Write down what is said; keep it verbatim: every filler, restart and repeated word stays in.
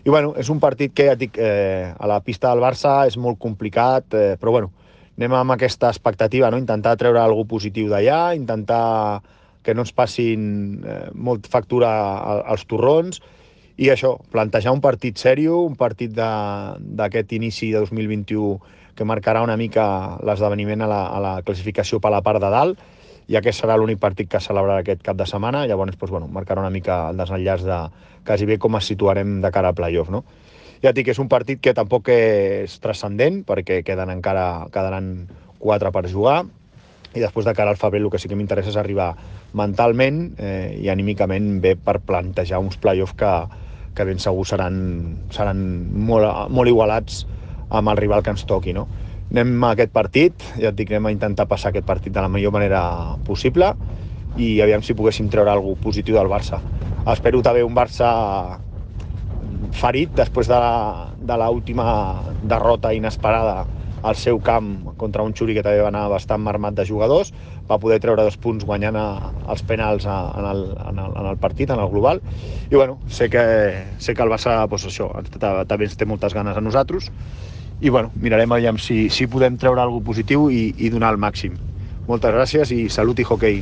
I bueno, és un partit que ja et dic, eh, a la pista del Barça és molt complicat, eh, però bueno, anem amb aquesta expectativa, no? Intentar treure alguna positiu d'allà, intentar que no ens passin eh, molt factura als torrons, i això, plantejar un partit sèrio, un partit d'aquest inici de dos mil vint-i-u que marcarà una mica l'esdeveniment a, la, a la classificació per la part de dalt, ja que serà l'únic partit que es celebrarà aquest cap de setmana. Llavors, doncs, bueno, marcarà una mica el desenllaç de quasi bé com es situarem de cara al playoff, no? Ja et dic que és un partit que tampoc és transcendent, perquè queden encara, quedaran quatre per jugar, i després de cara al febrer el que sí que m'interessa és arribar mentalment eh, i anímicament bé per plantejar uns playoffs que, que ben segur seran, seran molt, molt igualats amb el rival que ens toqui, no? Anem a aquest partit, ja et dic, anem a intentar passar aquest partit de la millor manera possible i aviam si poguéssim treure alguna cosa positiu del Barça. Espero també un Barça ferit després de, de l'última derrota inesperada al seu camp contra un Xuri que també va anar bastant marmat de jugadors, va poder treure dos punts guanyant a, els penals a, en, el, en, el, en el partit, en el global, i bueno, sé que, sé que el Barça doncs això, també ens té moltes ganes a nosaltres, i bueno, mirarem aviam si, si podem treure alguna cosa positiu i, i donar el màxim. Moltes gràcies i salut i hoquei.